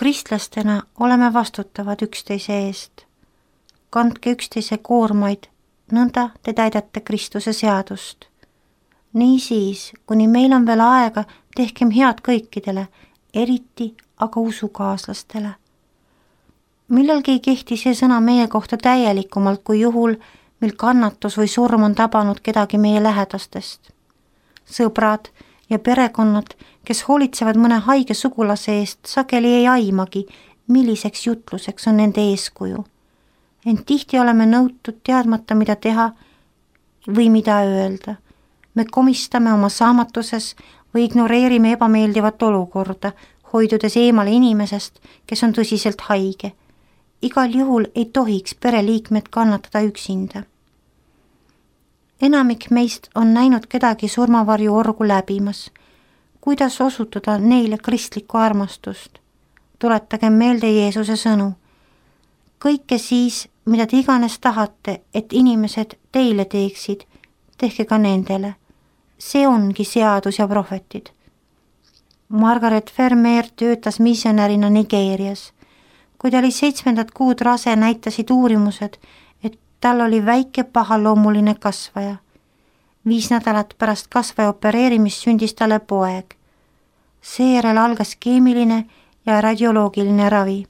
Kristlastena oleme vastutavad üksteise eest. Kandke üksteise koormaid, nõnda te täidate Kristuse seadust. Niisiis, kuni meil on veel aega, tehkem head kõikidele, eriti aga usukaaslastele. Millalgi ei kehti see sõna meie kohta täielikumalt kui juhul, mil kannatus või surm on tabanud kedagi meie lähedastest. Sõbrad ja perekonnad, kes hoolitsevad mõne haige sugulase eest, sageli ei aimagi, milliseks jutluseks on nende eeskuju. Ent tihti oleme nõutud teadmata, mida teha või mida öelda. Me komistame oma saamatuses või ignoreerime ebameeldivat olukorda, hoidudes eemale inimesest, kes on tõsiselt haige. Igal juhul ei tohiks pereliikmed kannatada üksinda. Enamik meist on näinud kedagi surmavarju orgu läbimas. Kuidas osutuda neile kristlikku armastust? Tuletagem meelde Jeesuse sõnu. Kõike siis, mida te iganes tahate, et inimesed teile teeksid, tehke ka nendele. See ongi seadus ja prohvetid. Margaret Vermeer töötas missionärina Nigeerias. Kui ta oli 7. kuud rase, näitasid uurimused, et tal oli väike pahaloomuline kasvaja. 5 nädalat pärast kasvaja opereerimist sündis talle poeg. Seejärel algas keemiline ja radioloogiline ravi.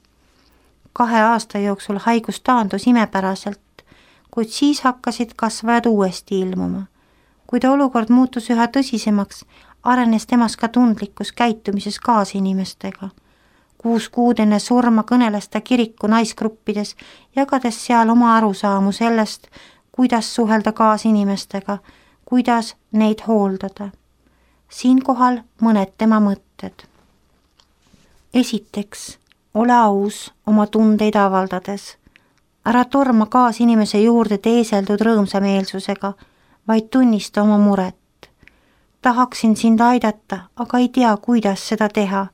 2 aasta jooksul haigus taandus imepäraselt, kuid siis hakkasid kasvajad uuesti ilmuma. Kui olukord muutus üha tõsisemaks, arenes temas ka tundlikkus käitumises kaasinimestega. 6 kuud enne surma kõneles ta kiriku naisgruppides, jagades seal oma arusaamu sellest, kuidas suhelda kaasinimestega, kuidas neid hooldada. Siinkohal mõned tema mõtted. Esiteks, ole aus oma tundeid avaldades. Ära torma kaasinimese juurde teeseldud rõõmsameelsusega, vaid tunnista oma muret. Tahaksin sind aidata, aga ei tea, kuidas seda teha.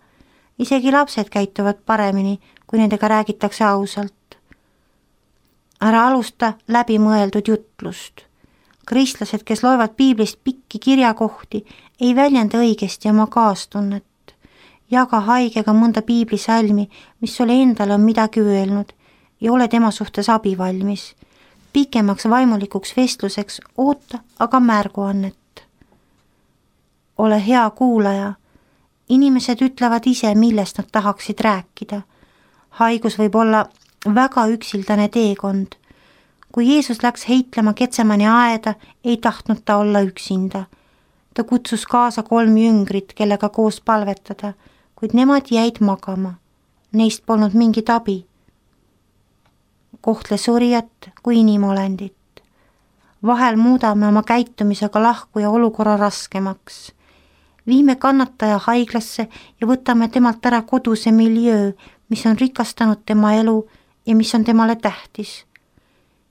Isegi lapsed käituvad paremini, kui nendega räägitakse ausalt. Ära alusta läbimõeldud jutlust. Kristlased, kes loevad piiblist pikki kirjakohti, ei väljenda õigesti oma kaastunnet. Jaga haigega mõnda piiblisalmi, mis sulle endale on midagi öelnud, ja ole tema suhtes abivalmis. Pikemaks vaimulikuks vestluseks oota aga märguannet. Ole hea kuulaja. Inimesed ütlevad ise, millest nad tahaksid rääkida. Haigus võib olla väga üksildane teekond. Kui Jeesus läks heitlema Getsemani aeda, ei tahtnud ta olla üksinda. Ta kutsus kaasa 3 jüngrit, kellega koos palvetada, kuid nemad jäid magama. Neist polnud mingit abi. Kohtle surijat kui inimolendit. Vahel muudame oma käitumisega lahkuja olukorra raskemaks. Viime kannataja haiglasse ja võtame temalt ära koduse miljöö, mis on rikastanud tema elu ja mis on temale tähtis.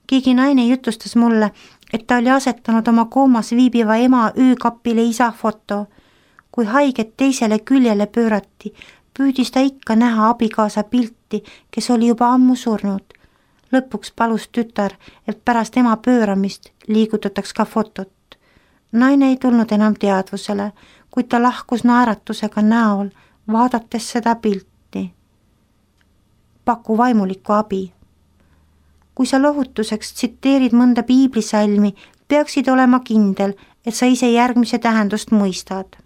Keegi naine jutustas mulle, et ta oli asetanud oma koomas viibiva ema öökapile isa foto. Kui haiget teisele küljele pöörati, püüdis ta ikka näha abikaasa pilti, kes oli juba ammu surnud. Lõpuks palus tütar, et pärast ema pööramist liigutataks ka fotot. Naine ei tulnud enam teadvusele, kuid ta lahkus naeratusega näol, vaadates seda pilti. Paku vaimulikku abi. Kui sa lohutuseks tsiteerid mõnda piiblisalmi, peaksid olema kindel, et sa ise järgmise tähendust mõistad.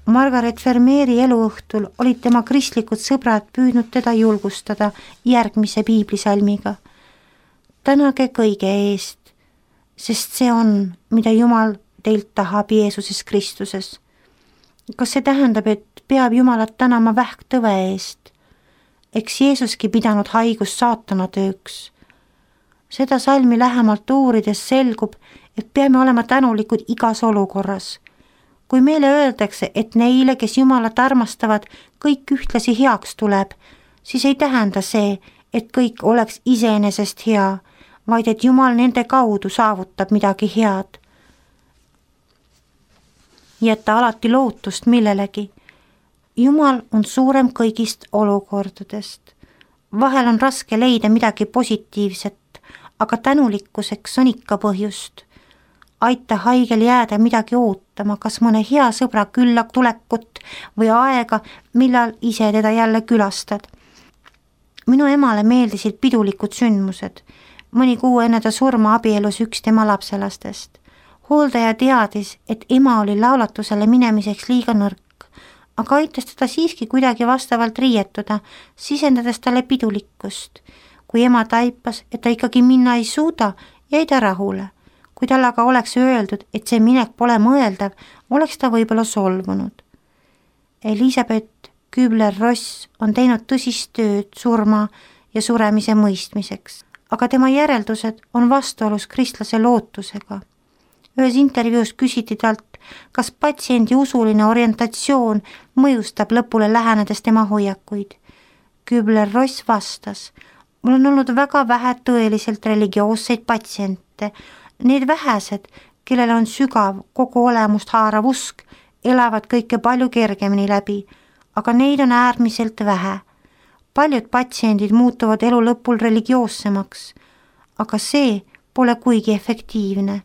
Margaret Vermeeri eluõhtul olid tema kristlikud sõbrad püüdnud teda julgustada järgmise piiblisalmiga. Tänage kõige eest, sest see on, mida Jumal teilt tahab Jeesuses Kristuses. Kas see tähendab, et peab Jumalat tänama vähktõve eest? Eks Jeesuski pidanud haigus saatana tööks. Seda salmi lähemalt uurides selgub, et peame olema tänulikud igas olukorras. Kui meile öeldakse, et neile, kes Jumalat armastavad, kõik ühtlasi heaks tuleb, siis ei tähenda see, et kõik oleks iseenesest hea, vaid et Jumal nende kaudu saavutab midagi head. Jätta alati lootust millelegi. Jumal on suurem kõigist olukordadest. Vahel on raske leida midagi positiivset, aga tänulikkuseks on ikka põhjust. aita haigel jääda midagi ootama, kas mõne hea sõbra külla tulekut või aega, millal ise teda jälle külastad. Minu emale meeldisid pidulikud sündmused. Mõni kuu enne ta surma abielus üks tema lapselastest. Hooldaja teadis, et ema oli laulatusele minemiseks liiga nõrk, aga aitas teda siiski kuidagi vastavalt riietuda, sisendades talle pidulikkust. Kui ema taipas, et ta ikkagi minna ei suuda, jäi ta rahule. Kui tal aga oleks öeldud, et see minek pole mõeldav, oleks ta võib-olla solvunud. Elisabeth Kübler-Ross on teinud tõsist tööd surma ja suremise mõistmiseks, aga tema järeldused on vastuolus kristlase lootusega. Ühes intervjuus küsiti talt, kas patsiendi usuline orientatsioon mõjustab lõpule lähenedes tema hoiakuid. Kübler-Ross vastas, mul on olnud väga vähe tõeliselt religioosseid patsiente. Need vähesed, kellel on sügav kogu olemust haarav usk, elavad kõike palju kergemini läbi, aga neid on äärmiselt vähe. Paljud patsiendid muutuvad elu lõpul religioossemaks, aga see pole kuigi efektiivne.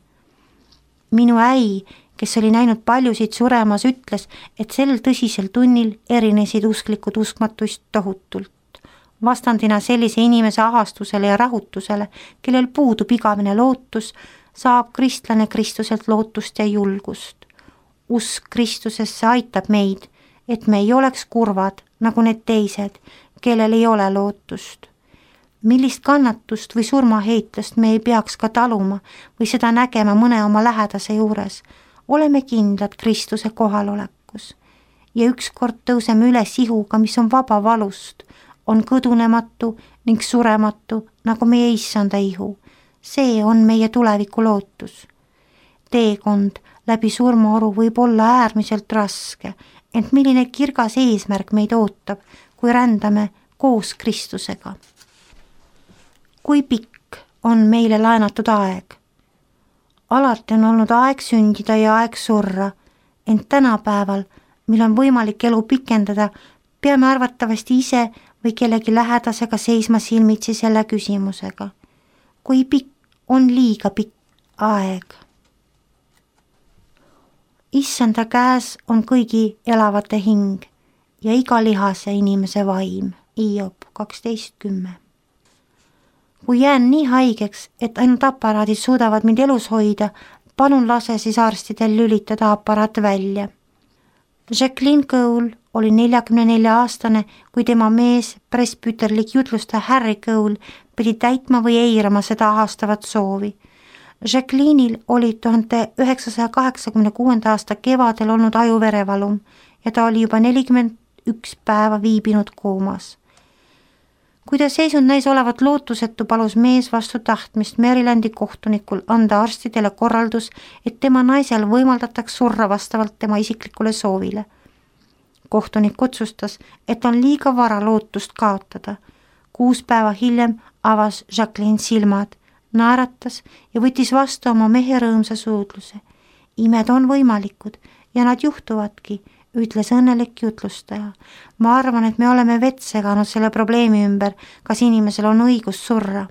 Minu äi, kes oli näinud paljusid suremas, ütles, et sel tõsisel tunnil erinesid usklikud uskmatuist tohutult. Vastandina sellise inimese ahastusele ja rahutusele, kellel puudub igavene lootus, saab kristlane Kristuselt lootust ja julgust. Usk Kristusesse aitab meid, et me ei oleks kurvad nagu need teised, kellel ei ole lootust. Millist kannatust või surmaheitlust me ei peaks ka taluma või seda nägema mõne oma lähedase juures, oleme kindlad Kristuse kohalolekus. Ja ükskord tõuseme üles ihuga, mis on vaba valust, on kõdunematu ning surematu nagu meie issanda ihu. See on meie tuleviku lootus. Teekond läbi surmaoru võib olla äärmiselt raske, ent milline kirgas eesmärk meid ootab, kui rändame koos Kristusega. Kui pikk on meile laenatud aeg? Alati on olnud aeg sündida ja aeg surra, ent tänapäeval, mil on võimalik elu pikendada, peame arvatavasti ise või kellegi lähedasega seisma silmitsi selle küsimusega. Kui pikk on liiga pikk aeg? Issanda käes on kõigi elavate hing ja iga lihase inimese vaim. Hiob 12:10. Kui jään nii haigeks, et ainult aparaadid suudavad mind elus hoida, palun lase siis arstidel lülitada aparaat välja. Jacqueline Cole oli 44-aastane, kui tema mees, presbüterlik jutlustaja Harry Cole, pidi täitma või eirama seda ahastavat soovi. Jacqueline'il oli 1986. aasta kevadel olnud ajuverevalum ja ta oli juba 41 päeva viibinud koomas. Kui ta seisund näis olevat lootusetu, palus mees vastu tahtmist Marylandi kohtunikul anda arstidele korraldus, et tema naisel võimaldataks surra vastavalt tema isiklikule soovile. Kohtunik otsustas, et on liiga vara lootust kaotada. 6 päeva hiljem avas Jacqueline silmad, naeratas ja võttis vastu oma mehe rõõmsa suudluse. Imed on võimalikud ja nad juhtuvadki, ütles õnnelik jutlustaja. Ma arvan, et me oleme vett seganud selle probleemi ümber, kas inimesel on õigus surra.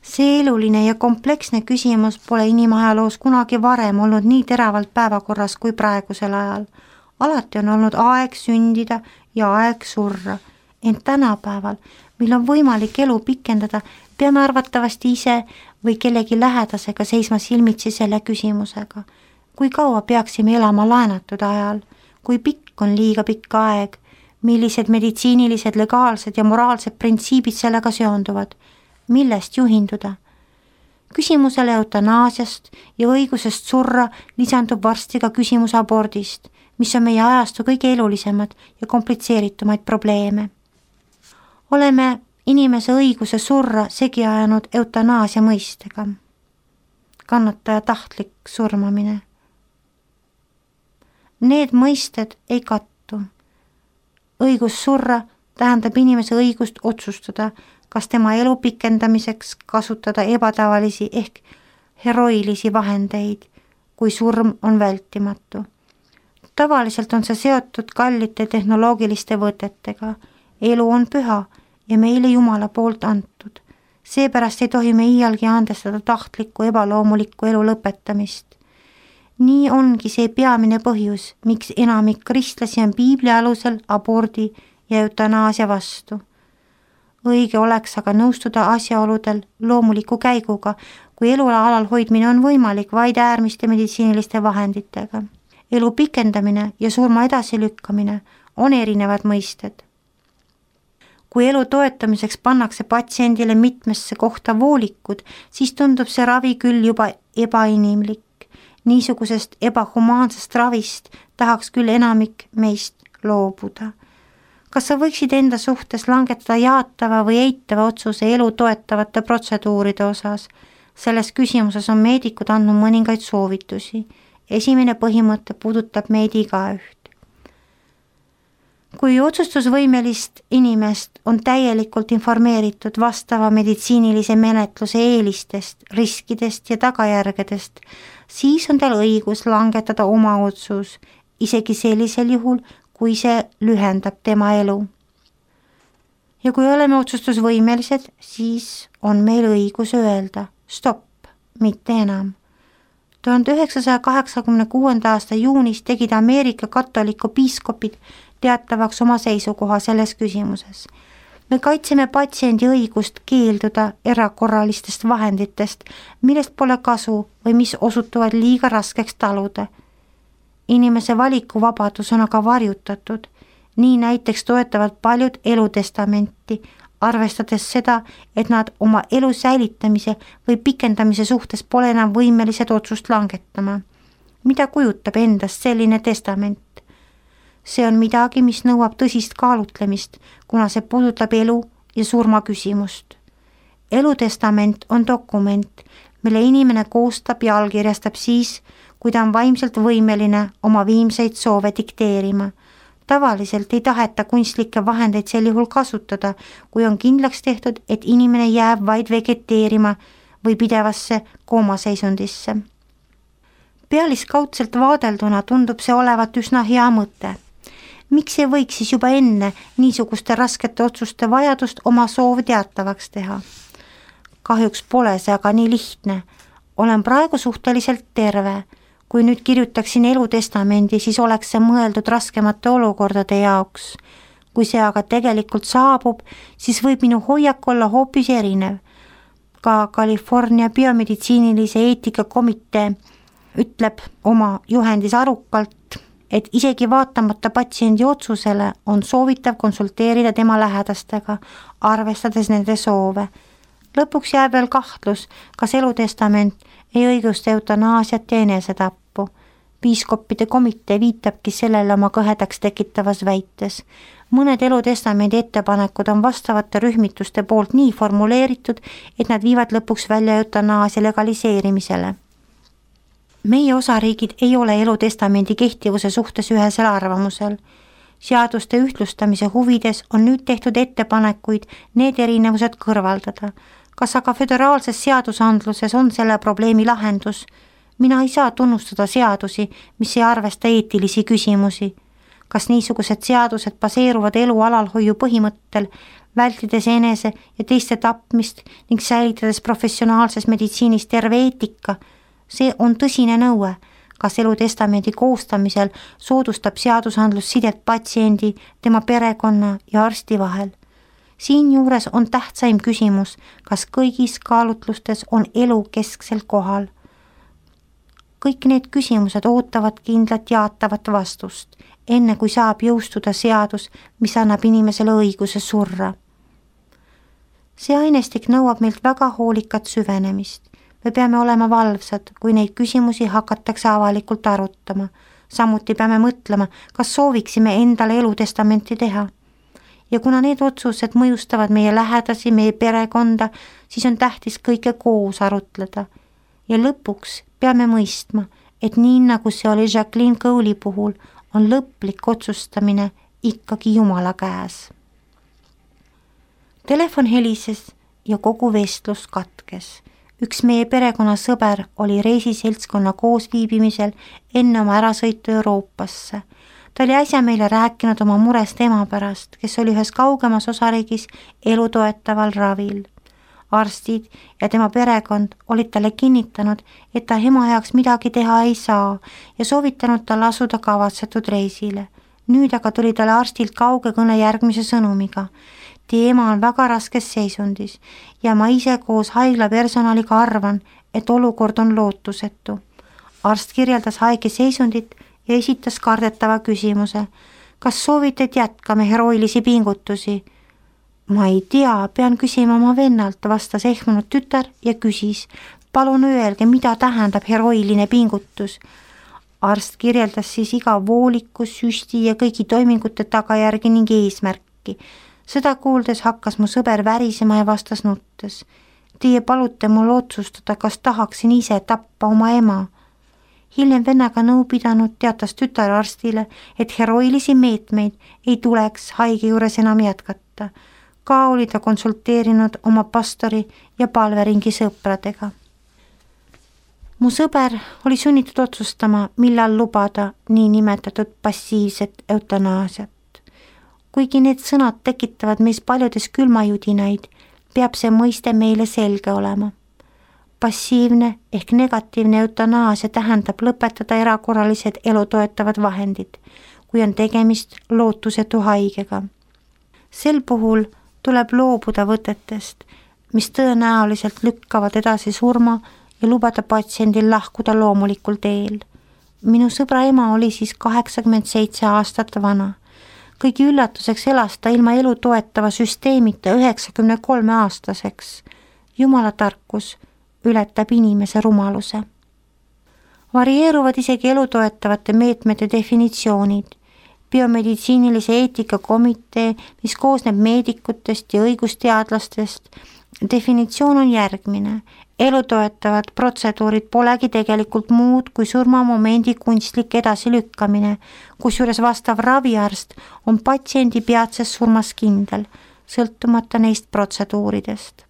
See eluline ja kompleksne küsimus pole inimajaloos kunagi varem olnud nii teravalt päevakorras kui praegusel ajal. Alati on olnud aeg sündida ja aeg surra, ent tänapäeval, mil on võimalik elu pikendada, peame arvatavasti ise või kellegi lähedasega seisma silmitsi selle küsimusega. Kui kaua peaksime elama laenatud ajal? Kui pikk on liiga pikk aeg? Millised meditsiinilised, legaalsed ja moraalsed printsiibid sellega seonduvad? Millest juhinduda? Küsimusele eutanaasiast ja õigusest surra lisandub varsti ka küsimus abordist, mis on meie ajastu kõige elulisemad ja komplitseeritumaid probleeme. Oleme inimese õiguse surra segi ajanud eutanaasia mõistega. Kannataja tahtlik surmamine. Need mõisted ei kattu. Õigus surra tähendab inimese õigust otsustada, kas tema elu pikendamiseks kasutada ebatavalisi ehk heroilisi vahendeid, kui surm on vältimatu. Tavaliselt on see seotud kallite tehnoloogiliste võtetega. Elu on püha ja meile Jumala poolt antud. Seepärast ei tohi me iialgi andestada tahtlikku ebaloomulikku elu lõpetamist. Nii ongi see peamine põhjus, miks enamik kristlasi on piibli alusel abordi ja eutanaasia vastu. Õige oleks aga nõustuda asjaoludel loomuliku käiguga, kui elu alal hoidmine on võimalik vaid äärmiste meditsiiniliste vahenditega. Elu pikendamine ja surma edasilükkamine on erinevad mõisted. Kui elu toetamiseks pannakse patsiendile mitmesse kohta voolikud, siis tundub see ravi küll juba ebainimlik. Niisugusest ebahumaansest ravist tahaks küll enamik meist loobuda. Kas sa võiksid enda suhtes langetada jaatava või eitava otsuse elu toetavate protseduuride osas? Selles küsimuses on meedikud andnud mõningaid soovitusi. Esimene põhimõte puudutab meid igaüht. Kui otsustusvõimelist inimest on täielikult informeeritud vastava meditsiinilise menetluse eelistest, riskidest ja tagajärgedest, siis on tal õigus langetada oma otsus, isegi sellisel juhul, kui see lühendab tema elu. Ja kui oleme otsustusvõimelised, siis on meil õigus öelda stopp, mitte enam. 1986. aasta juunis tegid Ameerika katoliku piiskopid teatavaks oma seisukoha selles küsimuses. Me kaitseme patsiendi õigust keelduda erakorralistest vahenditest, millest pole kasu või mis osutuvad liiga raskeks taluda. Inimese valikuvabadus on aga varjutatud, nii näiteks toetavad paljud elutestamenti, arvestades seda, et nad oma elu säilitamise või pikendamise suhtes pole enam võimelised otsust langetama. Mida kujutab endast selline testament? See on midagi, mis nõuab tõsist kaalutlemist, kuna see puudutab elu ja surma küsimust. Elutestament on dokument, mille inimene koostab ja allkirjastab siis, kui ta on vaimselt võimeline oma viimseid soove dikteerima. Tavaliselt ei taheta kunstlikke vahendeid sel juhul kasutada, kui on kindlaks tehtud, et inimene jääb vaid vegeteerima või pidevasse koomaseisundisse. Pealiskaudselt vaadelduna tundub see olevat üsna hea mõte. Miks ei võiks siis juba enne niisuguste raskete otsuste vajadust oma soov teatavaks teha? Kahjuks pole see aga nii lihtne. Olen praegu suhteliselt terve. Kui nüüd kirjutaksin elutestamendi, siis oleks see mõeldud raskemate olukordade jaoks. Kui see aga tegelikult saabub, siis võib minu hoiak olla hoopis erinev. Ka California biomeditsiinilise eetikakomitee ütleb oma juhendis arukalt, et isegi vaatamata patsiendi otsusele on soovitav konsulteerida tema lähedastega, arvestades nende soove. Lõpuks jääb veel kahtlus, kas elutestament ei õigusta eutanaasiat ja enesetappu. Piiskoppide komitee viitabki sellele oma kõhedaks tekitavas väites. Mõned elutestamendi ettepanekud on vastavate rühmituste poolt nii formuleeritud, et nad viivad lõpuks välja eutanaasia legaliseerimisele. Meie osariigid ei ole elutestamendi kehtivuse suhtes ühesel arvamusel. Seaduste ühtlustamise huvides on nüüd tehtud ettepanekuid need erinevused kõrvaldada. Kas aga föderaalses seadusandluses on selle probleemi lahendus? Mina ei saa tunnustada seadusi, mis ei arvesta eetilisi küsimusi. Kas niisugused seadused baseeruvad elu alalhoiu põhimõttel, vältides enese ja teiste tapmist ning säilitades professionaalses meditsiinis terve eetika? See on tõsine nõue, kas elutestamendi koostamisel soodustab seadusandlus sidet patsiendi, tema perekonna ja arsti vahel. Siinjuures on tähtsaim küsimus, kas kõigis kaalutlustes on elu kesksel kohal. Kõik need küsimused ootavad kindlat jaatavat vastust, enne kui saab jõustuda seadus, mis annab inimesele õiguse surra. See ainestik nõuab meilt väga hoolikat süvenemist. Me peame olema valvsad, kui neid küsimusi hakatakse avalikult arutama. Samuti peame mõtlema, kas sooviksime endale elutestamenti teha. Ja kuna need otsused mõjustavad meie lähedasi, meie perekonda, siis on tähtis kõike koos arutleda. Ja lõpuks peame mõistma, et nii nagu see oli Jacqueline Cowley puhul, on lõplik otsustamine ikkagi Jumala käes. Telefon helises ja kogu vestlus katkes. Üks meie perekonna sõber oli reisiseltskonna koosviibimisel enne oma ärasõitu Euroopasse. Ta oli äsja meile rääkinud oma murest ema pärast, kes oli ühes kaugemas osariigis elutoetaval ravil. arstid ja tema perekond olid talle kinnitanud, et ta ema heaks midagi teha ei saa ja soovitanud tal asuda kavatsetud reisile. Nüüd aga tuli talle arstilt kauge kõne järgmise sõnumiga. Teie ema on väga raskes seisundis ja ma ise koos haigla personaliga arvan, et olukord on lootusetu. Arst kirjeldas haige seisundit ja esitas kardetava küsimuse. Kas soovite, et jätkame heroilisi pingutusi? Ma ei tea, pean küsima oma vennalt, vastas ehmunud tütar ja küsis. Palun öelge, mida tähendab heroiline pingutus? Arst kirjeldas siis iga vooliku, süsti ja kõigi toimingute tagajärgi ning eesmärki. Seda kuuldes hakkas mu sõber värisema ja vastas nuttes. Teie palute mul otsustada, kas tahaksin ise tappa oma ema. Hiljem vennaga nõu pidanud teatas tütar arstile, et heroilisi meetmeid ei tuleks haige juures enam jätkata. Ka oli ta konsulteerinud oma pastori ja palveringi sõpradega. Mu sõber oli sunnitud otsustama, millal lubada nii nimetatud passiivset eutanaasiat. Kuigi need sõnad tekitavad meis paljudes külmajudinaid, peab see mõiste meile selge olema. Passiivne ehk negatiivne eutanaasia tähendab lõpetada erakorralised elutoetavad vahendid, kui on tegemist lootusetu haigega. Sel puhul tuleb loobuda võtetest, mis tõenäoliselt lükkavad edasi surma ja lubada patsiendil lahkuda loomulikul teel. Minu sõbra ema oli siis 87 aastat vana. Kõigi üllatuseks elas ta ilma elu toetava süsteemita 93 aastaseks. Jumala tarkus ületab inimese rumaluse. Varieeruvad isegi elu toetavate meetmete definitsioonid. Biomeditsiinilise eetikakomitee, mis koosneb meedikutest ja õigusteadlastest, definitsioon on järgmine. Elu toetavad protseduurid polegi tegelikult muud kui surmamomendi kunstlik edasilükkamine, kusjuures vastav raviarst on patsiendi peatses surmas kindel, sõltumata neist protseduuridest.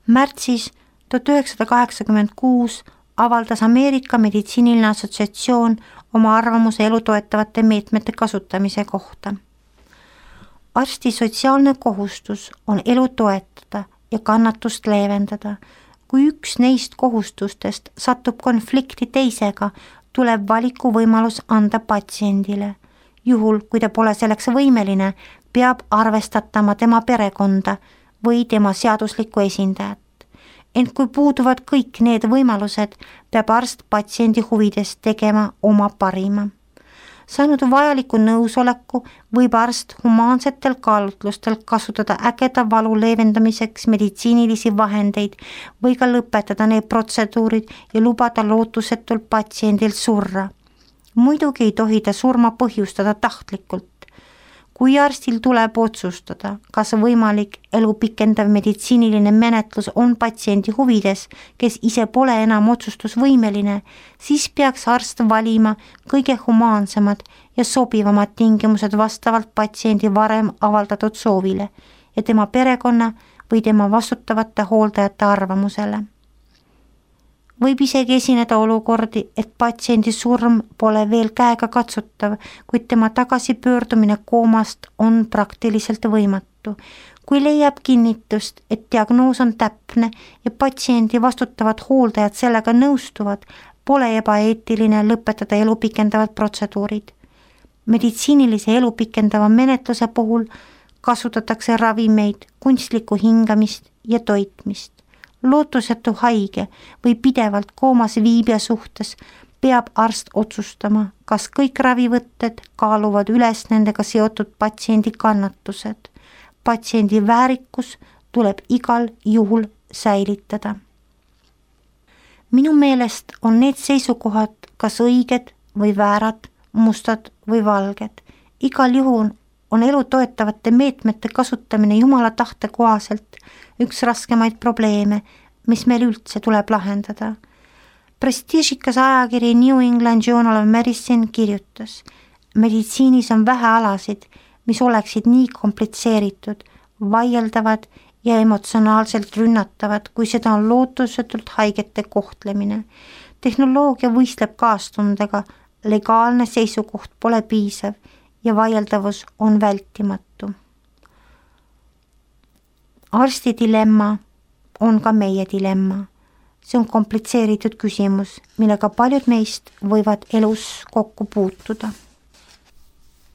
Märtsis 1986 avaldas Ameerika meditsiiniline assotsiatsioon oma arvamuse elu toetavate meetmete kasutamise kohta. Arsti sotsiaalne kohustus on elu toetada ja kannatust leevendada. Kui üks neist kohustustest satub konflikti teisega, tuleb valikuvõimalus anda patsiendile. Juhul, kui ta pole selleks võimeline, peab arvestatama tema perekonda või tema seaduslikku esindajat. Ent kui puuduvad kõik need võimalused, peab arst patsiendi huvides tegema oma parima. Saanud vajaliku nõusoleku võib arst humaansetel kaalutlustel kasutada ägeda valu leevendamiseks meditsiinilisi vahendeid või ka lõpetada need protseduurid ja lubada lootusetult patsiendil surra. Muidugi ei tohi ta surma põhjustada tahtlikult. Kui arstil tuleb otsustada, kas võimalik elu pikendav meditsiiniline menetlus on patsiendi huvides, kes ise pole enam otsustusvõimeline, siis peaks arst valima kõige humaansemad ja sobivamad tingimused vastavalt patsiendi varem avaldatud soovile ja tema perekonna või tema vastutavate hooldajate arvamusele. Võib isegi esineda olukordi, et patsiendi surm pole veel käega katsutav, kuid tema tagasipöördumine koomast on praktiliselt võimatu. Kui leiab kinnitust, et diagnoos on täpne ja patsiendi vastutavad hooldajad sellega nõustuvad, pole ebaeetiline lõpetada elu pikendavad protseduurid. Meditsiinilise elu pikendava menetluse puhul kasutatakse ravimeid, kunstlikku hingamist ja toitmist. Lootusetu haige või pidevalt koomas viibija suhtes peab arst otsustama, kas kõik ravivõtted kaaluvad üles nendega seotud patsiendi kannatused. Patsiendi väärikus tuleb igal juhul säilitada. Minu meelest on need seisukohad kas õiged või väärad, mustad või valged. Igal juhul on elu toetavate meetmete kasutamine Jumala tahte kohaselt üks raskemaid probleeme, mis meil üldse tuleb lahendada. Prestiižikas ajakiri New England Journal of Medicine kirjutas, meditsiinis on vähe alasid, mis oleksid nii komplitseeritud, vaieldavad ja emotsionaalselt rünnatavad, kui seda on lootusetult haigete kohtlemine. Tehnoloogia võistleb kaastundega, legaalne seisukoht pole piisav ja vaieldavus on vältimatu. Arsti dilemma on ka meie dilemma. See on komplitseeritud küsimus, millega paljud meist võivad elus kokku puutuda.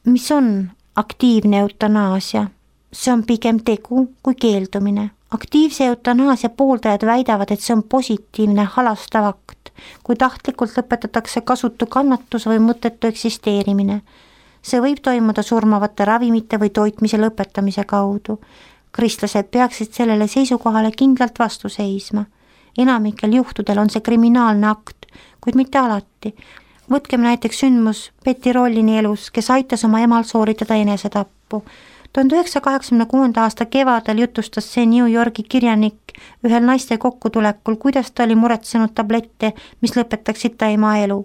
Mis on aktiivne eutanaasia? See on pigem tegu kui keeldumine. Aktiivse eutanaasia pooldajad väidavad, et see on positiivne halastav akt, kui tahtlikult lõpetatakse kasutu kannatus või mõttetu eksisteerimine. See võib toimuda surmavate ravimite või toitmise lõpetamise kaudu. Kristlased peaksid sellele seisukohale kindlalt vastu seisma. Enamikel juhtudel on see kriminaalne akt, kuid mitte alati. Võtkem näiteks sündmus Betty Rollini elus, kes aitas oma emal sooritada enesetappu. 1986. aasta kevadel jutustas see New Yorgi kirjanik ühel naiste kokkutulekul, kuidas ta oli muretsenud tablette, mis lõpetaksid ta ema elu.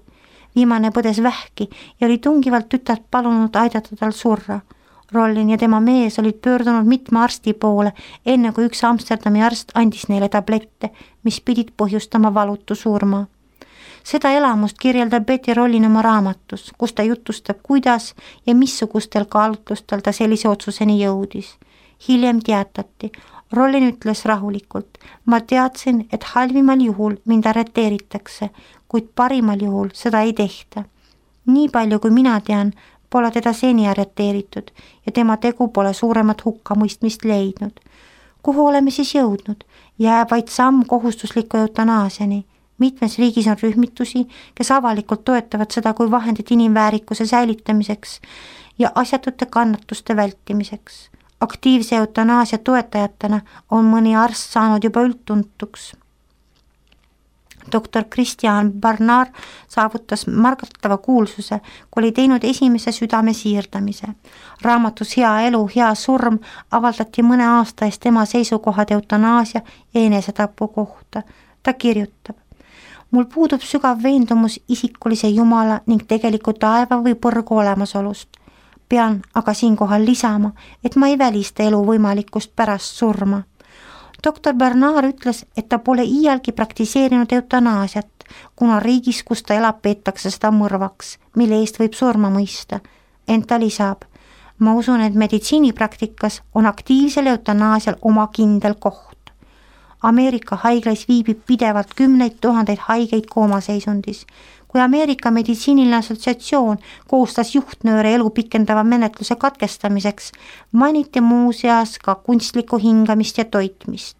Viimane põdes vähki ja oli tungivalt tütart palunud aidata tal surra. Rollin ja tema mees olid pöördunud mitme arsti poole, enne kui üks Amsterdami arst andis neile tablette, mis pidid põhjustama valutu surma. Seda elamust kirjeldab Betty Rollin oma raamatus, kus ta jutustab, kuidas ja missugustel kaalutlustel ta sellise otsuseni jõudis. Hiljem teatati, Rollin ütles rahulikult, ma teadsin, et halvimal juhul mind arreteeritakse, kuid parimal juhul seda ei tehta. Nii palju kui mina tean, pole teda seni arreteeritud ja tema tegu pole suuremat hukkamõistmist leidnud. Kuhu oleme siis jõudnud? Jääb vaid samm kohustusliku eutanaasiani. Mitmes riigis on rühmitusi, kes avalikult toetavad seda kui vahendit inimväärikuse säilitamiseks ja asjatute kannatuste vältimiseks. Aktiivse eutanaasia toetajatena on mõni arst saanud juba üldtuntuks. Dr. Christian Barnard saavutas märgatava kuulsuse, kui oli teinud esimese südame siirdamise. Raamatus Hea elu, hea surm avaldati mõne aasta eest tema seisukohad eutanaasia ja enesetapu kohta. Ta kirjutab, mul puudub sügav veendumus isikulise Jumala ning tegeliku taeva või põrgu olemasolust. Pean aga siinkohal lisama, et ma ei välista elu võimalikkust pärast surma. Dr. Bernard ütles, et ta pole iialgi praktiseerinud eutanaasiat, kuna riigis, kus ta elab, peetakse seda mõrvaks, mille eest võib surma mõista. Ent ta lisab, ma usun, et meditsiinipraktikas on aktiivsel eutanaasial oma kindel koht. Ameerika haiglas viibib pidevalt 10 000 haigeid koomaseisundis. Kui Ameerika meditsiiniline assotsiatsioon koostas juhtnööre elu pikendava menetluse katkestamiseks, mainiti muuseas ka kunstlikku hingamist ja toitmist.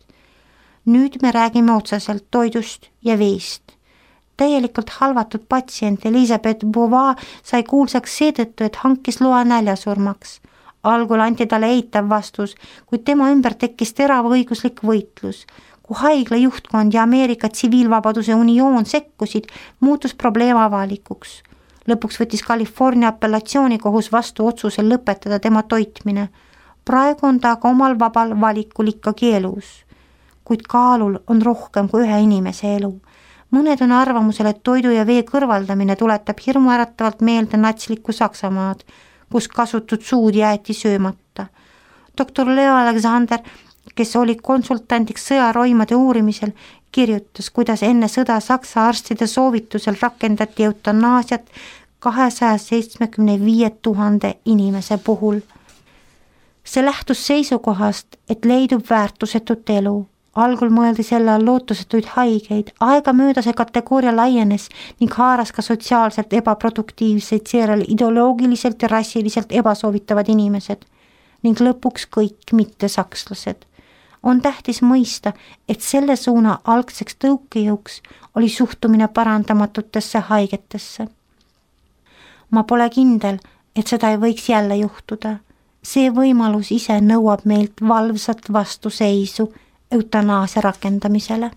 Nüüd me räägime otseselt toidust ja veest. Täielikult halvatud patsient Elisabeth Beauvoir sai kuulsaks seetõttu, et hankis loa näljasurmaks. Algul anti talle eitav vastus, kuid tema ümber tekkis terav õiguslik võitlus. Kui haigla juhtkond ja Ameerika tsiviilvabaduse unioon sekkusid, muutus probleem avalikuks. Lõpuks võttis California apellatsioonikohus vastu otsuse lõpetada tema toitmine. Praegu on ta aga omal vabal valikul ikkagi elus. Kuid kaalul on rohkem kui ühe inimese elu. Mõned on arvamusel, et toidu ja vee kõrvaldamine tuletab hirmuäratavalt meelde natslikku Saksamaad, kus kasutud suud jäeti söömata. Dr. Leo Alexander, kes oli konsultandiks sõjaroimade uurimisel, kirjutas, kuidas enne sõda Saksa arstide soovitusel rakendati eutanaasiat 275 000 inimese puhul. See lähtus seisukohast, et leidub väärtusetut elu. Algul mõeldi selle all lootusetuid haigeid, aega mööda see kategooria laienes ning haaras ka sotsiaalselt ebaproduktiivseid, seejärel ideoloogiliselt ja rassiliselt ebasoovitavad inimesed ning lõpuks kõik mittesakslased. On tähtis mõista, et selle suuna algseks tõukejõuks oli suhtumine parandamatutesse haigetesse. Ma pole kindel, et seda ei võiks jälle juhtuda. See võimalus ise nõuab meilt valvsat vastuseisu eutanaasia rakendamisele.